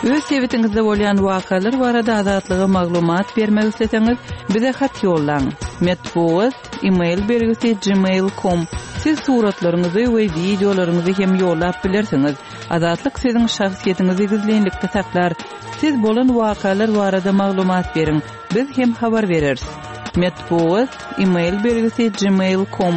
Öz sebitiňizde bolýan wakalar barada Azatlyga maglumat bermek isleseňiz, bize hat ýollaň. Metbugat, e-mail belgisi gmail com. Siz suratlaryňyzy we wideolaryňyzy hem ýollap bilersiňiz. Azatlyk siziň şahsyýetiňizi gizlinlikde saklar. Siz bolan wakalar barada maglumat beriň, biz hem habar bereris. Metbugat, e-mail belgisi gmail com.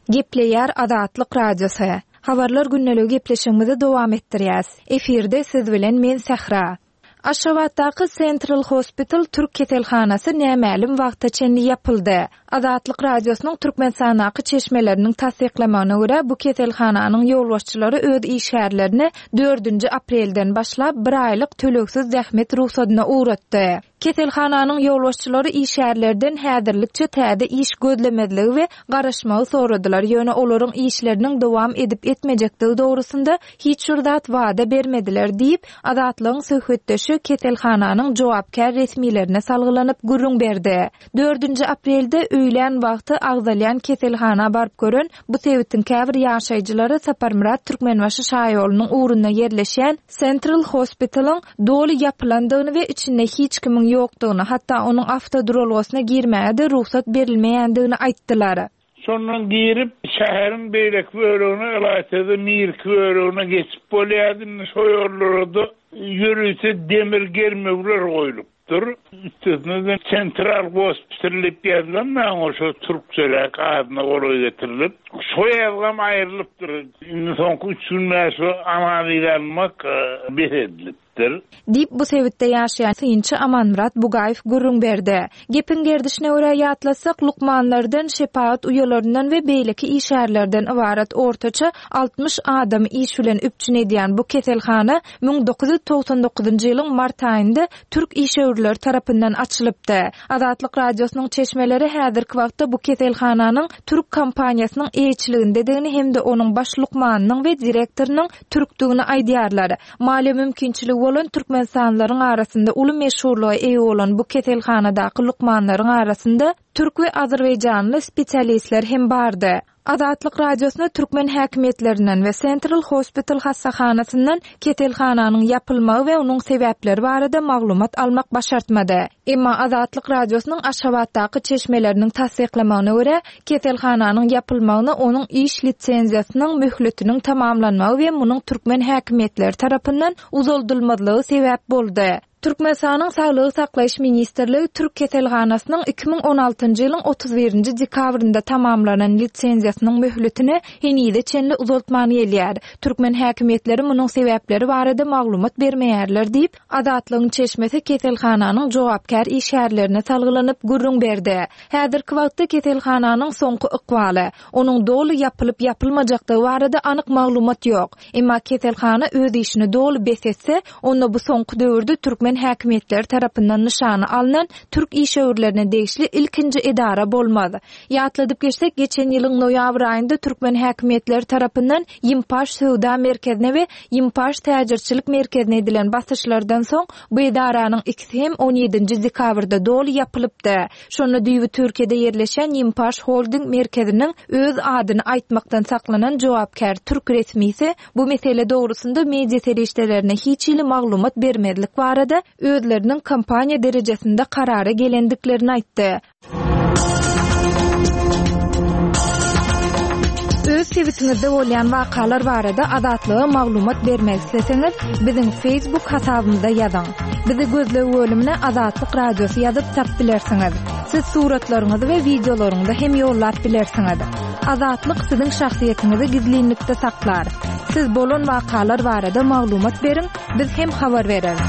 Gepleýär Azatlyk Radiosy. Habarlar gündeligi gepleşigimizi dowam etdirýäs. Efirde siz bilen men Sähra. Aşgabatdaky Central Hospital türk keselhanasy nämälim wagta çenli ýapyldy. Azatlyk Radiosynyň Türkmenistandaky çeşmeleriniň tassyklamagyna görä, bu keselhananyň ýolbaşçylary öz işgärlerini dördünji aprelden başlap bir aýlyk tölegsiz zähmet rugsadyna ugratdy. Keselhananyň ýolbaşçylary işgärlerden häzirlikçe täze iş gözlemezligi we garaşmagy soradylar, ýöne olaryň işleriniň dowam edip-etmejekdigi dogrusynda hiç bir zat wada bermediler diýip, Azatlygyň söhbetdeşi keselhananyň jogapkär resmilerine salgylanyp gürrüň berdi. Dördünji aprelde öýlän wagty agzalýan keselhana baryp gören bu sebitiň käbir ýaşaýjylary Saparmyrat Türkmenbaşy şaýolunyň ugrunda ýerleşýän Central Hospital-yň doly ýapylandygyny we içinde hiç kimiň ýokdugyny, hatda onuň awtoduralgasyna girmäge-de rugsat berilmeýändigini aýtdylar. Şondan girip, şäheriň beýleki bölegine, ylaýta-da nirki bölegine geçip bolýardy. Indi şo ýollara-da ýörite demir germewler goýlupdyr. Üstesine-de Sentral gospital diýip ýazylan maňa şo türkçeräk adyna golaý getirilip, şo ýazgam aýrylypdyr. Indi soňky üç gün bäri şo analiz almak bes edilipdir. Diýip, bu sebitde ýaşaýan synçy Amanmyrat Bugaýew gürrüň berdi. Gepiň gerdişine görä ýatlatsak, lukmanlardan, şepagat uýalaryndan we beýleki işgärlerden ybarat ortaça 60 adamy iş bilen üpjün edýän bu keselhana 1999-njy ýylyň mart aýynda türk işewürleri tarapyndan açylypdy. Azatlyk Radiosynyň çeşmeleri häzirki wagtda bu keselhananyň türk kompaniýasynyň eýeçiligindedigini hem-de onuň baş lukmanynyň we direktorynyň türkdügini aýdýarlar. Maliýe mümkinçiligi bolan türkmenistanlylaryň arasynda uly meşhurlyga eýe bolan bu keselhanadaky lukmanlaryň arasynda türk we azerbaýjanly spesialistler hem bardy. Azatlyk Radiosyna türkmen häkimiýetlerinden we Central Hospital hassahanasyndan keselhananyň ýapylmagy we onuň sebäpleri barada maglumat almak başartmady. Emma Azatlyk Radiosynyň Aşgabatdaky çeşmeleriniň tassyklamagyna görä, keselhananyň ýapylmagyna onuň iş lisenziýasynyň möhletiniň tamamlanmagy we munuň türkmen häkimiýetleri tarapyndan uzaldylmazlygy sebäp boldy. Türkmenistanyň Saglygy saklaýyş ministrligi türk keselhanasynyň 2016-njy ýylyň 31-nji dekabrynda tamamlanan lisenziýasynyň möhletini henize çenli uzaltman gelýär. Türkmen häkimiýetleri munuň sebäpleri barada maglumat bermeýärler diýip, Azatlygyň çeşmesi keselhananyň jogapkär işgärlerine salgylanyp gürrüň berdi. Häzirki wagtda keselhananyň soňky ykbaly, onuň doly ýapylyp-ýapylmajakdygy barada anyk maglumat ýok. Emma keselhana öz işini doly bes etse, onda bu soňky döwürde türkmen häkimiýetleri tarapyndan nyşana alnan türk işewürlerine degişli ilkinji edara bolmaz. Ýatladyp geçsek, geçen ýylyň noýabr aýynda türkmen häkimiýetleri tarapyndan Ýimpaş söwda merkezine we Ýimpaş täjirçilik merkezine edilen basyşlardan soň, bu edaranyň ikisi hem on ýedinji dekabrda doly ýapylypdy. Şonda düýbi Türkiýede ýerleşýän Ýimpaş Holding merkeziniň öz adyny aýtmakdan saklanan jogapkär türk resmisi bu mesele dogrusynda media serişdelerine hiç hili maglumat bermezlik barada özleriniň kompaniýa derejesinde karara gelendiklerini aýtdy. Öz sebitiňizde bolýan wakalar barada Azatlyga maglumat bermek isleseňiz, biziň Facebook hasabymyza ýazyň. Bizi gözleg bölümine Azatlyk Radiosy ýazyp tap bilersiňiz. Siz suratlaryňyzy we wideolaryňyzy hem ýollap bilersiňiz. Azatlyk siziň şahsyýetiňizi gizlinlikde saklar. Siz bolan wakalar barada maglumat beriň, Biz hem habar bereris.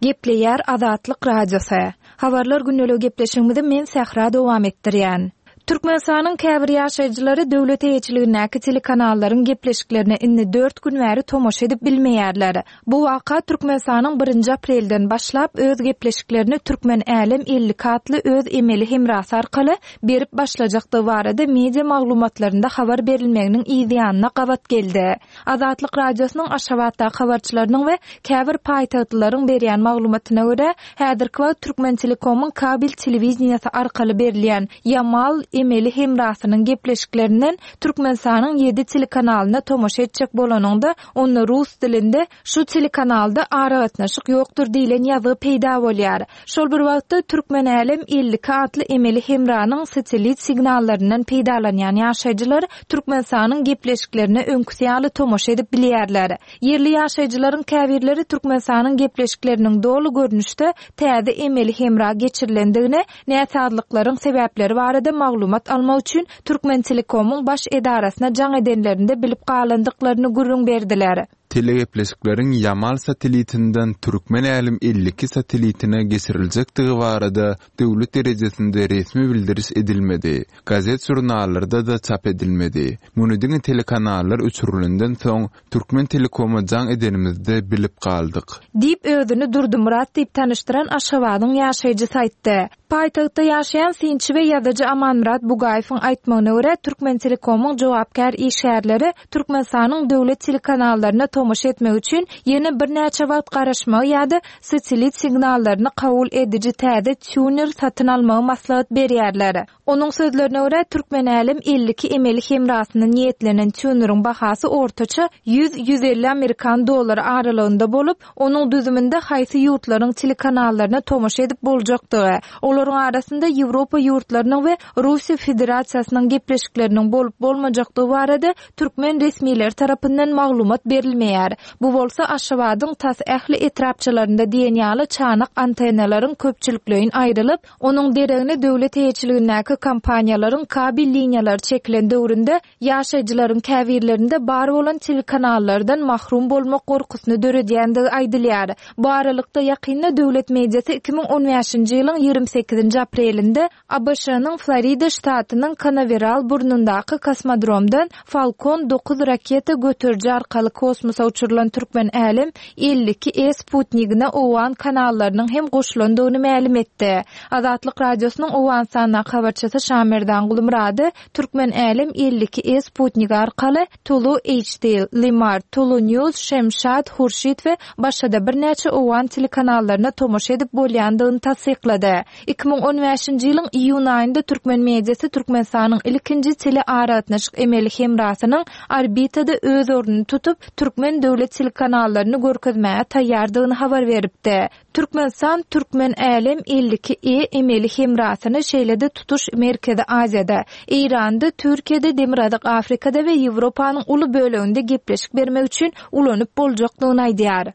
Gepleýär Azatlyk Radiosy. Habarlar gündeligi gepleşigimizi men Sähra dowam etdirýän. Türkmenistanyň käbir ýaşaýjylary döwlet eýeçiligindäki telekanallaryň gepleşiklerine indi dört gün bäri tomaşa edip bilmeýärler. Bu waka Türkmenistanyň birinji aprelden başlap öz gepleşiklerini Türkmen Älem 52 atly öz emeli hemrasy arkaly berip başlajakdygy barada media maglumatlarynda habar berilmeginiň yz ýanyna gabat geldi. Azatlyk Radiosynyň Aşgabatdaky habarçylarynyň we käbir paýtagtlylaryň berýän maglumatyna görä, häzirki wagt Türkmentelekomyň kabel telewideniýesi arkaly berilýän Ýamal emeli hemrasynyň gepleşiklerinden Türkmenistanyň ýedi telekanalyna tomaşa etjek bolanyňda, onda rus dilinde Şu telekanalda aragatnaşyk ýokdur diýlen ýazgy peýda bolýar. Şol bir wagtda, Türkmenälem 52 atly emeli hemranyň satellit signallaryndan peýdalanýan ýaşaýjylar Türkmenistanyň gepleşiklerine öňküsi ýaly tomaşa edip bilýärler. Ýerli ýaşaýjylaryň käbirleri Türkmenistanyň gepleşikleriniň doly görnüşde täze emeli hemra geçirilendigini, näsazlyklaryň sebäpleri barada maglumat almak üçin Türkmentelekomyň baş edarasyna jaň edenlerinde bilip galandyklaryny gürrüň berdiler. Telegepleşikleriň Ýamal satellitinden Türkmen Älem 52 satellitine geçiriljekdigi barada döwlet derejesinde resmi bildiriş edilmedi, gazet-žurnallarda-da çap edilmedi. Muny diňe telekanallar öçürilenden soň, Türkmentelekoma jaň edenimizde bilip galdyk. Diýip, özüni Durdymyrat diýip tanyşdyran Aşgabadyň ýaşaýjysy aýtdy. Paýtagtda ýaşaýan synçy we ýazyjy Amanmyrat Bugaýewiň aýtmagyna görä, Türkmentelekomyň jogapkär işgärleri Türkmenistanyň döwlet telekanallaryna tomaşa etmek üçin ýene birnäçe wagt garaşmagy ýa-da satellit signallaryny kabul ediji täze týuner satyn almagy maslahat berýärler. Onuň sözlerine görä, Türkmenälem 52 emeli hemrasyna niýetlenen týuneriň bahasy ortaça ýüz, 150 amerikan dollary aralygynda bolup, Onuň düzüminde haýsy ýurtlaryň telekanallaryna tomaşa edip boljakdygy, olaryň arasynda Ýewropa ýurtlarynyň we Russiýa Federasiýasynyň gepleşikleriniň bolup-bolmajakdygy barada türkmen resmileri tarapyndan maglumat berilmeýär. Bu bolsa Aşgabadyň tas ähli etrapçalarynda diýen ýaly çanak antennalaryň köpçülikleýin aýrylyp, onuň deregine döwlet eýeçiligindäki kompaniýalaryň kabel liniýalary çekilen döwründe Ýaşaýjylaryň käbirlerinde bar bolan telekanallardan mahrum bolmak gorkusyny döredýändigi aýdylýar. Bu aralykda, ýakynda döwlet mediasy 2015-nji ýylyň 28-nji aprelinde ABŞ-nyň Florida ştatynyň Kanaweral burnundaky kosmodromdan Falcon 9 raketa göteriji arkaly kosmosa uçurylan Türkmen Älem 52 E sputnigine owgan kanallarynyň hem goşulandygyny mälim etdi. Azatlyk Radiosynyň Owganystandaky habarçysy Şamerdan Gulmyrady Türkmen Älem 52 E sputnigi arkaly Tulu HD, Limar, Tulu News, Şemşat, Hurşit we başga-da birnäçe owgan telekanallaryna tomaşa edip bolýandygyny tassyklady. 2015-nji ýylyň iýun aýynda türkmen mediasy Türkmenistanyň ilkinji telearagatnaşyk emeli hemrasynyň orbitada öz ornuny tutup, türkmen döwlet telekanallaryny görkezmäge taýýardygyny habar beripdi. Türkmenistan Türkmen Älem 52 E emeli hemrasyny şeýle-de tutuş Merkezi Aziýada, Eýranda, Türkiýede, Demirgazyk Afrikada we Ýewropanyň uly böleginde gepleşik bermek üçin ulanyp boljakdygyny aýdýar.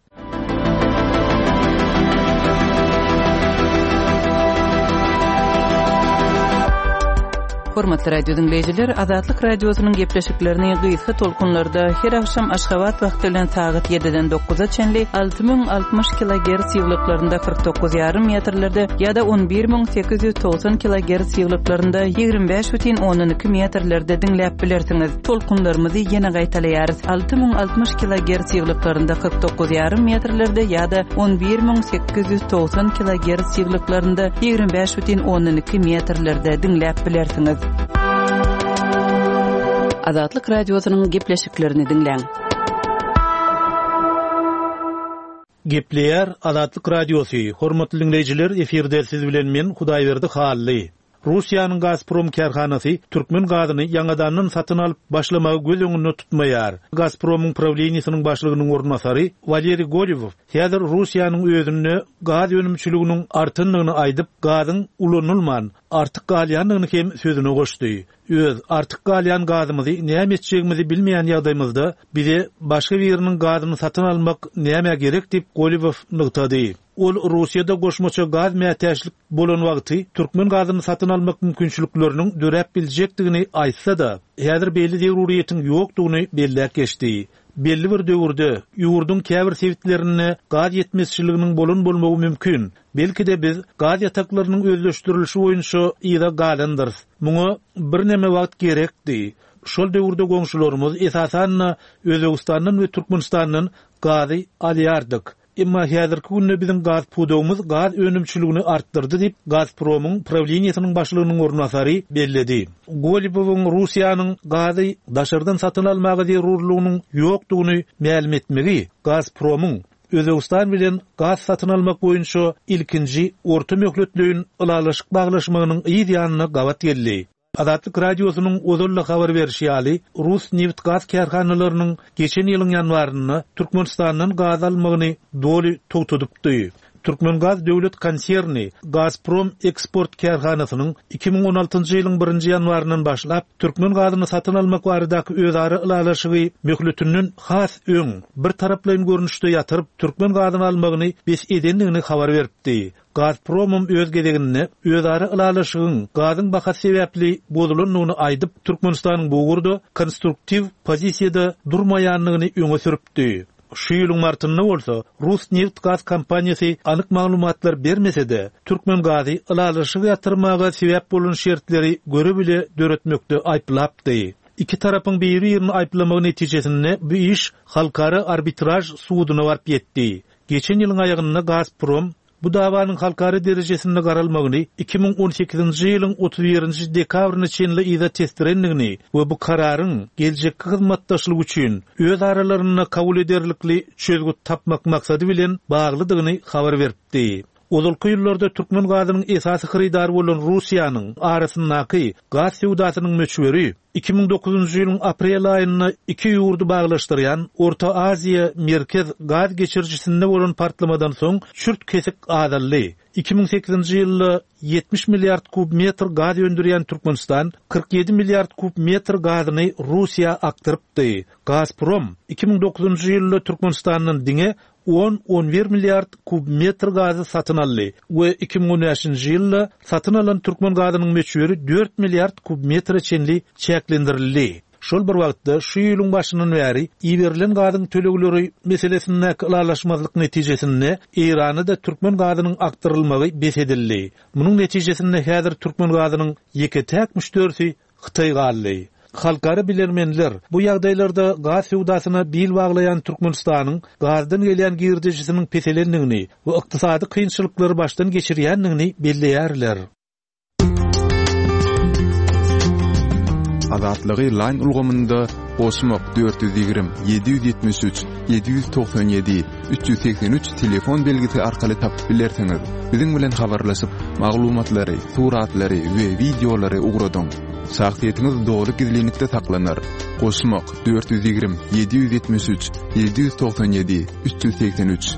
Hormatly radio diňleýjiler, Azatlyk Radiosynyň gepleşiklerini gysga tolkunlarda her agşam Aşgabat wagty bilen sagat 7-den 9-a çenli 6060 kilogerts ýyglyklarynda 49 ýarym metrlerde ýa-da 11890 kilogerts ýyglyklarynda 25,2 metrlerde diňläp bilersiňiz. Tolkunlarymyzy ýene gaýtalaýarys, 6060 kilogerts ýyglyklarynda 49 ýarym metrlerde ýa-da 11890 kilogerts ýyglyklarynda 25,2 metrlerde diňläp bilersiňiz. Azatlyk Radiosynyň gepleşiklerini diňläň. Gepleýär Azatlyk Radiosy, Hormatly diňleýjiler, efirde siz bilen men Hudaýberdi Hally. Russiýanyň Gazprom kärhanasy türkmen gazyny ýaňadandan satyn alyp başlamagy göz öňünde tutmaýar. Gazpromyň prawleniýesiniň başlygynyň orunbasary Waleriý Golewow häzir Russiýanyň özünde gaz önümçiliginiň artandygyny aýdyp, gazyň ulanylman, artyk galýandygyny hem sözüne goşdy. Öz artyk galýan gazymyzy näme etjegimizi bilmeýän ýagdaýymyzda bize başga biriniň gazyny satyn almak nämä gerek diýip, Golewow nygtady. Ol Russiýada goşmaça gaz mätäçlik bolan wagty türkmen gazyny satyn almak mümkinçilikleriniň döräp biljekdigini aýtsa-da, häzir beýle zeruryýetiň ýokdugyny belläp geçdi. Belli bir döwürde ýurduň käbir sebitlerinde gaz ýetmezçiliginiň bolan bolmagy mümkin. Belki-de biz gaz ýataklarynyň özleşdirilişi boýunça yza galandyrys. Muňa birneme wagt gerekdi. Şol döwürde goňşularymyz, esasan-da, Özbegistandan we Türkmenistandan gazy alýardyk. Emma häzirki günde biziň gaz pudagymyz gaz önümçiligini artdyrdy diýip, Gazpromyň prawleniýesiniň başlygynyň orunbasary belledi. Golibowyň Russiýanyň gazy daşardan satyn almaga zerurlygynyň ýokdugyny mälim etmegi Gazpromyň Özbegistan bilen gaz satyn almak boýunça ilkinji orta möhletleýin ylalaşyk baglaşmagynyň yz ýanyna gabat geldi. Azatlyk Radiosynyň ozal-da habar berşi ýaly, rus nebit-gaz kärhanalarynyň geçen ýylyň ýanwarynda Türkmenistandan gaz almagyny doly togtadypdy. Türkmengaz döwlet konserni Gazprom eksport kärhanasynyň 2016-njy ýylyň birinji ýanwaryndan başlap türkmen gazyny satyn almak baradaky özara ylalaşygy möhletinden has öň birtaraplaýyn görnüşde ýatyryp, türkmen gazyny almagyny bes edendigini habar beripdi. Gazpromam öz gezeginde özara ylalaşygyň gazyň bahasy sebäpli bozulandygyny aýdyp, Türkmenistanyň bu ugurda konstruktiw pozisiýada durmaýandygyny öňe sürüpdi. Şu ýylyň martynda bolsa rus nebit-gaz kompaniýasy anyk maglumatlar bermese-de, Türkmengazy ylalaşygy ýatyrmaga sebäp bolan şertleri göre-bile döretmekde aýyplapdy. Iki tarapyň biri-birini aýyplamagy netijesinde bu iş Halkara arbitraž suduna baryp ýetdi. Geçen ýylyň aýagynda Gazprom bu dawanyň halkara derejesinde garalmagyny 2018-nji ýylyň 31-nji dekabryna çenli yza tesdirendigini we bu kararyň geljekki hyzmatdaşlyk üçin öz aralarynda kabul ederlikli çözgüt tapmak maksady bilen baglydygyny habar beripdi. Ozalky ýyllarda türkmen gazynyň esasy hyrydary bolan Russiýanyň arasyndaky gaz söwdasynyň möçberi 2009-njy ýylyň aprel aýynda iki ýurdy baglaşdyrýan Orta Aziýa, Merkez gaz geçirijisinde bolan partlamadan soň çürt-kesik azaldy. 2008-nji ýylda 70 milliard kub metr gaz öndürýän Türkmenistan 47 milliard kub metr gazyny Russiýa akdyrypdy. Gazprom 2009-njy ýylda Türkmenistandan diňe on, on bir milliard kub metr gazy satyn aldy we 2015-nji ýylda satyn alan türkmen gazynyň möçberi dört milliard kub metre çenli çäklendirildi. Şol bir wagtda, şu ýylyň başyndan bäri iberilen gazyň tölegleri meselesindäki ylalaşmazlyk netijesinde Eýrana-da türkmen gazynyň akdyrylmagy bes edildi. Munuň netijesinde häzir türkmen gazynyň ýeke-täk müşderisi Hytaý galdy. Halkara bilermenler bu ýagdaýlarda gaz söwdasyna bil baglaýan Türkmenistanyň gazdan gelýän girdejisiniň peselendigini we ykdysady kynçylyklary başdan geçirýändigini belleýärler. Azatlygy Line ulgamynda goşmak 420 773 797 383 telefon belgisi arkaly tapyp bilersiňiz. Biziň bilen habarlaşyp, maglumatlary, suratlary we wideolary ugradyň. Şahsyýetiňiz doly gizlinlikde saklanar. Goşmak 420 773 797 383.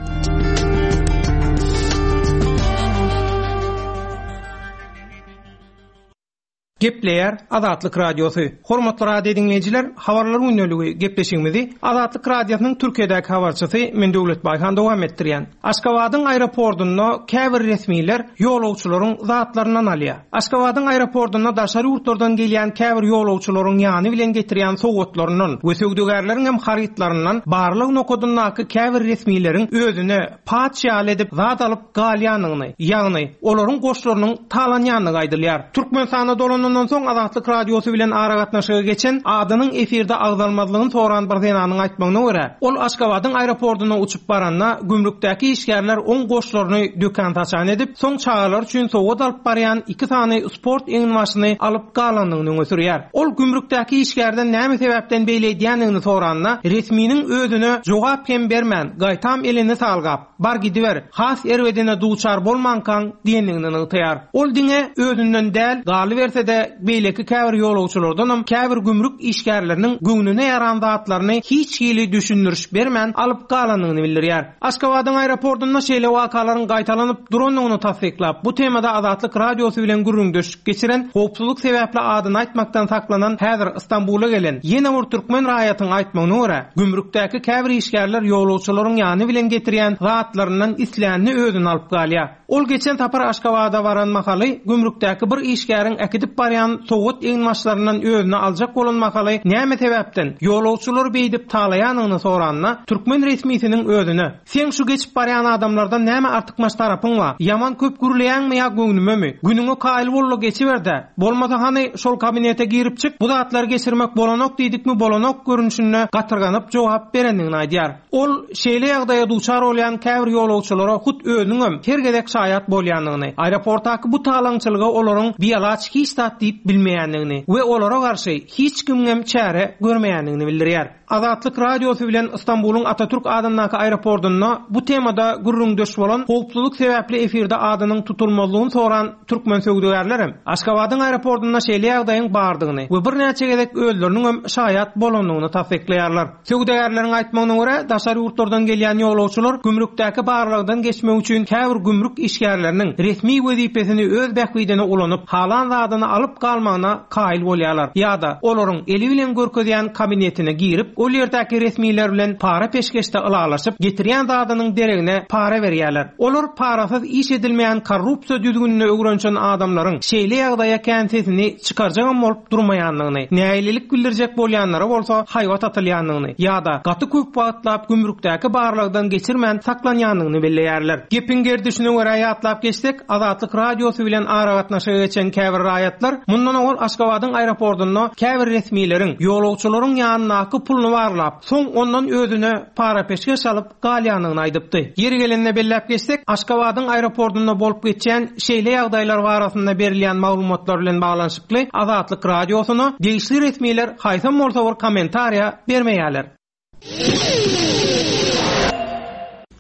Gepleýär Azatlyk Radiosy. Hormatly radio diňleýjiler, Habarlar gündeligi gepleşigimizi Azatlyk Radiosynyň Türkiýedäki habarçysy men Döwlet Baýhan dowam etdirýän. Aşgabadyň aeropordunda käbir resmiler ýolagçylaryň zatlaryndan alýar. Aşgabadyň aeropordunda daşary ýurtlardan gelýän käbir ýolagçylaryň ýany bilen getirýän sowgatlaryndan we söwdagärleriň hem harytlaryndan barlag nokadyndaky käbir resmileriň özüne paç ýaly edip zat alyp galýandygyny, ýagny, olaryň goşlarynyň talanýandygy aýdylýar. Türkmenistana dolanandan soň Azatlyk Radiosy bilen aragatnaşyga geçen, adynyň efirde agzalmazlygyny soran bir zenanyň aýtmagyna görä, ol Aşgabadyň aeroportuna uçup baranda, gümrükdäki işgärler oň goşlaryny dökän-saçan edip, soň çagalar üçin sowgat alyp barýan iki sany sport eginbaşyny alyp galandygyny öňe sürýär. Ol gümrükdäki işgärden näme sebäpden beýle edýändigini soranda, resminiň özüne jogap hem bermän, gaýtam elini salgap, Bar gidiber, has erbedine duçar bolmankaň diýendigini nygtaýar. Ol diňe özünden däl, galyberse-de, beýleki käbir ýolagçylardanam käbir gümrük işgärleriniň göwnüne ýaran zatlaryny hiç hili düşündiriş bermän alyp galandygyny bildirýär. Aşgabadyň aeroportunda şeýle wakalaryň gaýtalanyp durandygyny tassyklap, bu temada Azatlyk Radiosy bilen gürrüňdeşlik geçiren, howpsuzlyk sebäpli adyny aýtmakdan saklanan häzir Stambula gelen ýene bir türkmen raýatyň aýtmagyna görä, gümrükdäki käbir işgärler ýolagçylaryň ýany bilen getirýän zatlaryndan islänini özüne alyp galýar. Ol geçen sapar Aşgabada baran mahaly gümrükdäki bir işgäriň äkidip barýan. barýan sowgat eginbaşlaryndan özüne aljak bolan mahaly näme sebäpden ýolagçylary beýdip talaýanyny soranda, türkmen resmisiniň özüne, Seň şu geçip barýan adamlardan näme artykmaç tarapyň bar? Ýaman köp gürleýäňmi ýa göwnümemi? Günüňe kaýyl bol-da geçiber-dä. Bolmasa hany şol kabinete girip çyk, bu zatlary geçirmek bolanok diýdikmi bolanok görnüşinde gatyrganyp jogap berendigini aýdýar. Ol şeýle ýagdaýa duçar bolýan käbir ýolagçylara hut özüniňem her gezek şaýat bolýandygyny, aeroportdaky bu talaňçylyga olaryň bialaç hiç zat diýip bilmeýändigini we olara garşy hiç kimiňem çäre görmeýändigini bildirýär. Azatlyk Radiosy bilen Stambulyň Atatürk adyndaky aeroportunda bu temada gürrüňdeş bolan, howpsuzlyk sebäpli efirde adynyň tutulmazlygyny soran türkmen söwdagärlerem Aşgabadyň aeroportunda şeýle ýagdaýyň bardygyny we birnäçe gezek özleriniňem şaýat bolandygyny tassyklaýarlar. Söwdagärleriň aýtmagyna görä, daşary ýurtlardan gelýän ýolagçylar gümrükdäki barlagdan geçmek üçin käbir gümrük işgärleriniň resmi wezipesini öz bähbidine ulanyp, halan zadyny alyp galmagyna kaýyl bolýarlar ýa-da olaryň eli bilen görkezýän kabinetine girip, ol ýerdäki resmiler bilen para-peşgeşde ylalaşyp, getirýän zadynyň deregine para berýärler. Olar parasyz iş edilmeýän korrupsiýa düzgünine öwrenişen adamlaryň şeýle ýagdaýa kän sesini çykarjagam bolup durmaýandygyny, nägilelik bildirjek bolýanlara bolsa haýbat atylýandygyny ýa-da gaty köp wagtlap gümrükdäki barlagdan geçirmän saklanýandygyny belleýärler. Gepiň gerdişine görä ýatlap geçsek, Azatlyk Radiosy bilen aragatnaşyga geçen käbir raýatlar mundan owal Aşgabadyň aeroportunda käbir resmileriň ýolagçylaryň ýanyndaky puluny barlap, soň ondan özüne para-peşgeş alyp galýandygyny aýdypdy. Ýeri gelende belläp geçsek, Aşgabadyň aeroportunda bolup geçýän şeýle ýagdaýlar barasynda berilýän maglumatlar bilen baglanyşykly Azatlyk Radiosyna degişli resmiler haýsam bolsa bir kommentariýa bermeýärler.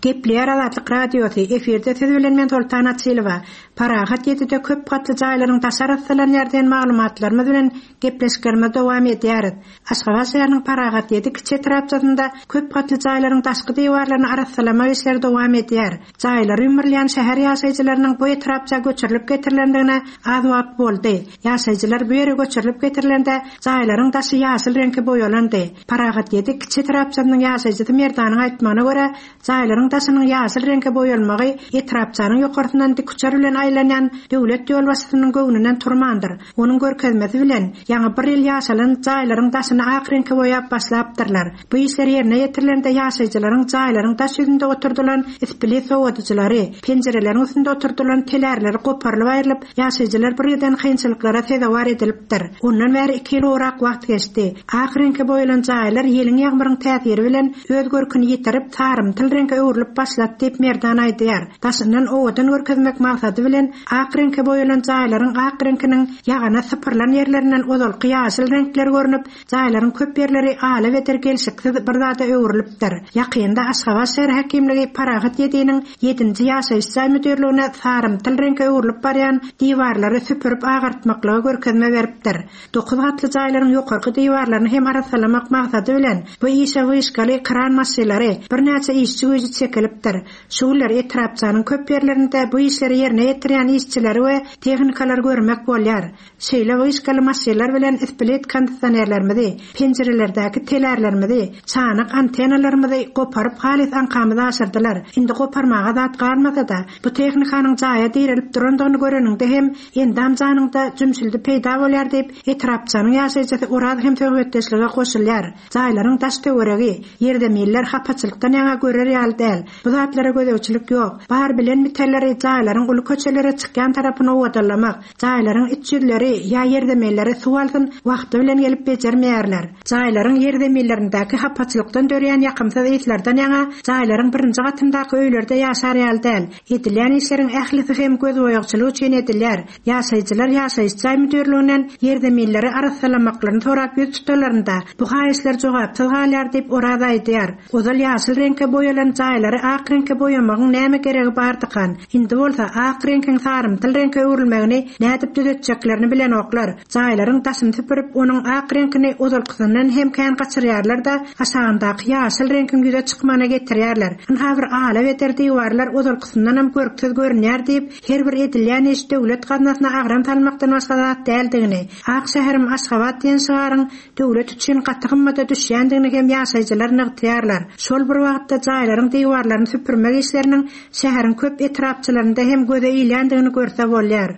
Gepleýär Azatlyk Radiosy, efirde siz bilen men Soltan Açylowa. Parahat ýedide köp gatly jaýlaryň daşy arassalanýar diýen maglumatlarymyz bilen gepleşiklerimizi dowam edýäris. Aşgabat şäheriniň Parahat ýedi kiçi etrapçasynda köp gatly jaýlaryň daşky diwarlaryny arassalamak işleri dowam edýär. Jaýlary ýumrulýan şäher ýaşaýjylarynyň bu etrapça göçürilip getirilendigine az wagt boldy. Ýaşaýjylar bu ýere göçürilip getirilende, jaýlaryň daşy ýaşyl reňke boýalandy. Parahat ýedi kiçi etrapçasynyň ýaşaýjysy Merdanyň aýtmagyna görä, jaýlaryň daşynyň ýaşyl reňke boýalmagy etrapçanyň ýokarsyndan dikuçar bilen aýlanýan döwlet ýolbaşçysynyň göwnünden turmandyr. Onuň görkezmesi bilen, ýaňy bir ýyl ýaşalan jaýlaryň daşyny ak reňke boýap başlapdyrlar. Bu işler ýerine ýetirilende ýaşaýjylaryň jaýlaryň daş ýüzünde oturdylan isplit sowadyjylary, penjireleriň üstünde oturdylan telärleri goparylyp aýrylyp, ýaşaýjylar birgiden kynçylyklara sezewar edilipdir. Ondan bäri iki ýyl gowrak wagt geçdi. Ak reňke boýalan jaýlar ýeliň-ýagmyryň täsiri bilen öz görküni ýitirip, sarymtyl reňke öwrülip başlady diýip, Merdan aýdýar. Daşyndan owadan görkezmek maksady bilen ak reňke boýalan jaýlaryň ak reňkiniň ýagana sypyrylan ýerlerinden ozalky ýaşyl reňkler görnüp, jaýlaryň köp ýerleri ala-beter gelşiksiz bir zada öwrülipdir. Ýakynda Aşgabat şäher häkimligi Parahat ýediniň ýedinji ýaşaýyş jaý müdirligine sarymtyl reňke öwrülip barýan diwarlary süpürip agartmaklyga görkezme beripdir. Dokuz gatly jaýlaryň ýokarky diwarlaryny hem arassalamak maksady bilen bu işe wyşkaly kran maşylary, birnäçe işçi güýji çekilipdir. Şu günler etrapçanyň köp ýerlerinde bu işleri ýerine ýetirýän işçileri we tehnikalary görmek bolýar. Şeýle wyşkaly maşynlar bilen split kondisionerlerimizi, penjirelerdäki telärlerimizi, çanak antennalarymyzy goparyp halys aňkamyzy aşyrdylar. Indi goparmaga zat galmasa-da, bu tehnikanyň jaýa direlip durandygyny göreniňde hem endam-janyňda jümşüldi peýda bolýar diýip, etrapçanyň ýaşaýjysy Oraz hem söhbetdeşlige goşulýar. Jaýlaryň daş-töweregi, ýerzeminler hapaçylykdan ýaňa görer ýaly däl. Bu zatlara gözegçilik ýok. Bar bilen bitenleri jaýlaryň uly köçelere çykýan tarapyny owadanlamak, jaýlaryň iç ýüzleri ýa ýerzeminleri suw alsyn wagty bilen gelip bejermeýärler. Jaýlaryň ýerzeminlerindäki hapaçylykdan dörýän ýakymsyz yslardan ýaňa jaýlaryň birinji gatyndaky öýlerde ýaşar ýaly däl. Edilýän işleriň ählisi hem gözboýagçylyk üçin edilýär. Ýaşaýjylar ýaşaýyş jaý müdirliginden ýerzeminleri arassalamaklaryny sorap ýüz tutanlarynda, bu haýyşlar jogapsyz galýar diýip, Oraz aýdýar. Ozal ýaşyl reňke boýalan jaýlary ak reňke boýamagyň näme geregi bardykan? Indi bolsa, ak reňkiň sarymtyl reňke öwrülmegini nädip düzetjeklerini bilenoklar. Jaýlaryň daşyny süpürip, onuň ak reňkini ozalkysyndan hem kän gaçyrýarlar-da, aşagyndaky ýaşyl reňkiň ýüze çykmagyna getirýärler. Ynha bir ala-beter diwarlar ozalkysyndanam görksiz görünýär diýip, Her bir edilýän iş döwlet gaznasyna agram salmakdan başga zat däldigini, Ak şäherim Aşgabat diýen şygaryň döwlet üçin gaty gymmada düşýändigini hem ýaşaýjylar nygtaýarlar. Şol bir wagtda jaýlaryň diwarlaryny süpürmek işleriniň şäheriň köp etrapçalarynda hem göze ilýändigini görse bolýar.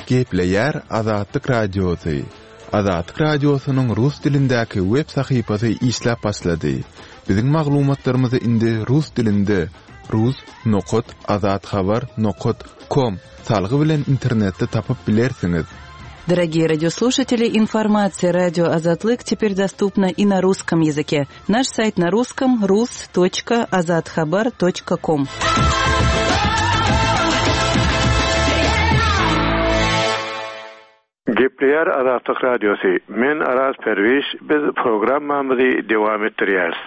Gepleýär Azatlyk Radiosy. Azatlyk Radiosynyň rus dilindäki web sahypasy işläp başlady. Biziň maglumatlarymyzy indi rus dilinde rus nokat azathabar nokat kom salgy bilen internetde tapyp bilersiňiz. Дорогие радиослушатели, информация радио Азатлык теперь доступна и на русском языке. Наш сайт на русском rus.azathabar.com. Gepleýär Azatlyk Radiosy, Men Araz Perwiş, biz programmamyzy dowam etdirýäris.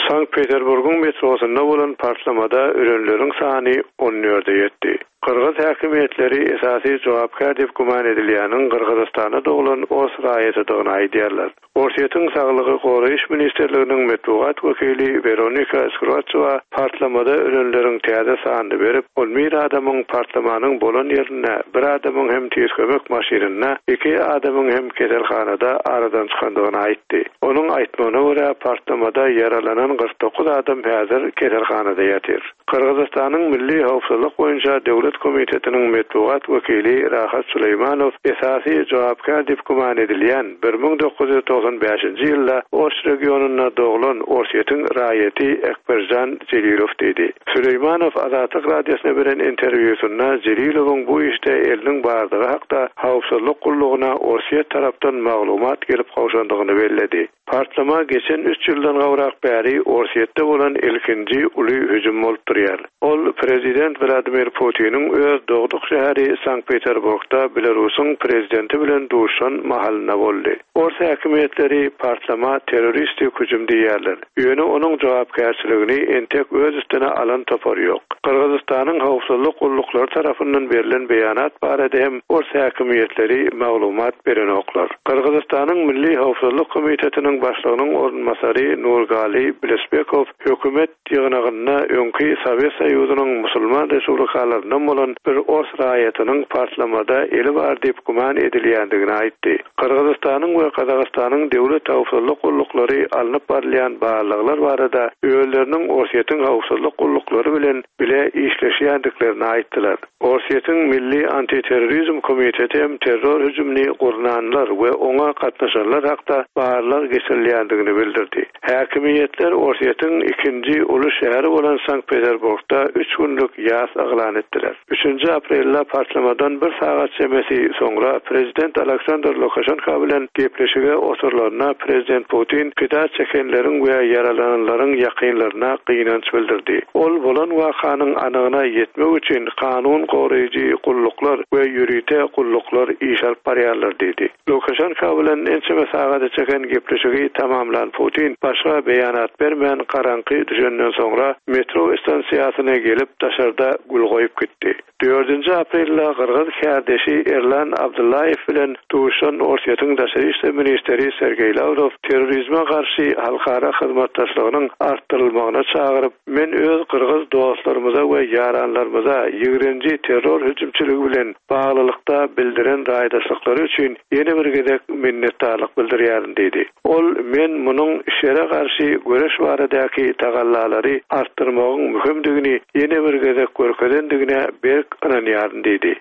Sankt Peterburgyň metrosynda bolan partlamada ölenleriň sany on dörde ýetdi. Gyrgyz häkimiýetleri esasy jogapkär diýip güman edilýäniň Gyrgyzystanda doglan ors raýatydygyny aýdýarlar. Orsýetiň Saglygy goraýyş ministrliginiň metbugat wekili Weronika Skroçewa partlamada ölenleriň täze sanyny berip, on bir adamyň partlamanyň bolan ýerinde, bir adamyň hem tiz kömek maşynynda, iki adamyň hem keselhanada aradan çykandygyny aýtdy. Onuň aýtmagyna görä, partlamada ýaralanan 49 adam häzir keselhanada ýatyr. Gyrgyzystanyň Milli howpsuzlyk boýunça döwlet komitetiniň metbugat wekili Rahat Suleýmanow esasy jogapkär diýip güman edilýän 1995-nji ýylda Oş regionynda doglan Orsýetiň raýaty Ekberjan Jelilow diýdi. Suleýmanow Azatlyk Radiosyna beren interwýusynda Jelilowyň bu işde eliniň bardygy hakda howpsuzlyk gullugyna Orsýet tarapdan maglumat gelip gowşandygyny belledi. Partlama geçen üç ýyldan gowrak bäri Orsýetde bolan ilkinji uly hüjüm bolup durýar. Ol prezident Wladimir Putiniň öz dogduk şäheri Sankt-Peterburgda Belarusyň prezidenti bilen duşuşan mahalynda boldy. Ors häkimiýetleri partlama terroristik hüjüm diýýärler. Ýöne onuň jogapkärçiligini entek öz üstüne alan topar ýok. Gyrgyzystanyň howpsuzlyk gulluklary tarapyndan berlen beýanat barada hem ors häkimiýetleri maglumat berenoklar. Gyrgyzystanyň Milli howpsuzlyk komitetiniň başlygynyň orunbasary Nurgali Bilesbekow hökümet ýygnagynda öňki Sowet Soýuzynyň musulman respublikalaryndan bolan bir ors raýatynyň partlamada eli bar diýip güman edilýändigini aýtdy. Gyrgyzystanyň we Gazagystanyň döwlet howpsuzlyk gulluklary alnyp barylýan barlaglar barada özleriniň Orsýetiň howpsuzlyk gulluklary bilen bile işleşýändiklerini aýtdylar. Orsýetiň Milli antiterrorizm komiteti hem terror hüjümini gurnanlar we oňa gatnaşanlar hakda barlag geçirilýändigini bildirdi. Häkimiýetler Orsýetiň ikinji uly şäheri bolan Sankt-Peterburgda üç günlük ýas yglan etdiler. Üçünji aprelde partlamadan bir sagat çemesi soňra prezident Aleksandr Lukaşenko bilen gepleşige oturylanda prezident Putin pida çekenleriň we ýaralananlaryň ýakynlaryna gynanç bildirdi. Ol bolan wakanyň anygyna ýetmek üçin kanun goraýjy gulluklar we ýörite gulluklar iş alyp barýarlar diýdi. Lukaşenko bilen ençeme sagada çeken gepleşigi tamamlan Putin başga beýanat bermän garaňky düşenden soňra metro stansiýasyna gelip daşarda gül goýup gitdi. Dördünji aprelde gyrgyz kärdeşi Erlan Abdyllaýew bilen duşan Orsýetiň daşary işler ministri Sergeý Lawrow terrorizme garşy halkara hyzmatdaşlygynyň artdyrylmagyna çagyryp, Men öz gyrgyz dostlarymyza we ýaranlarymyza ýigrenji terror hüjümçiligi bilen baglylykda bildiren raýdaşlyklary üçin ýene bir gezek minnetdarlyk bildirýärin diýdi. Ol Men munuň şere garşy göreş baradaky tagallalary artdyrmagyň möhümdigini ýene bir gezek görkezendigine berk ynanýaryn diýdi.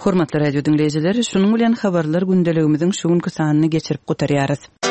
Hormatly radio diňleýjiler, şunuň bilen habarlar gündeligimiziň şu günki sanyny geçirip gutarýarys.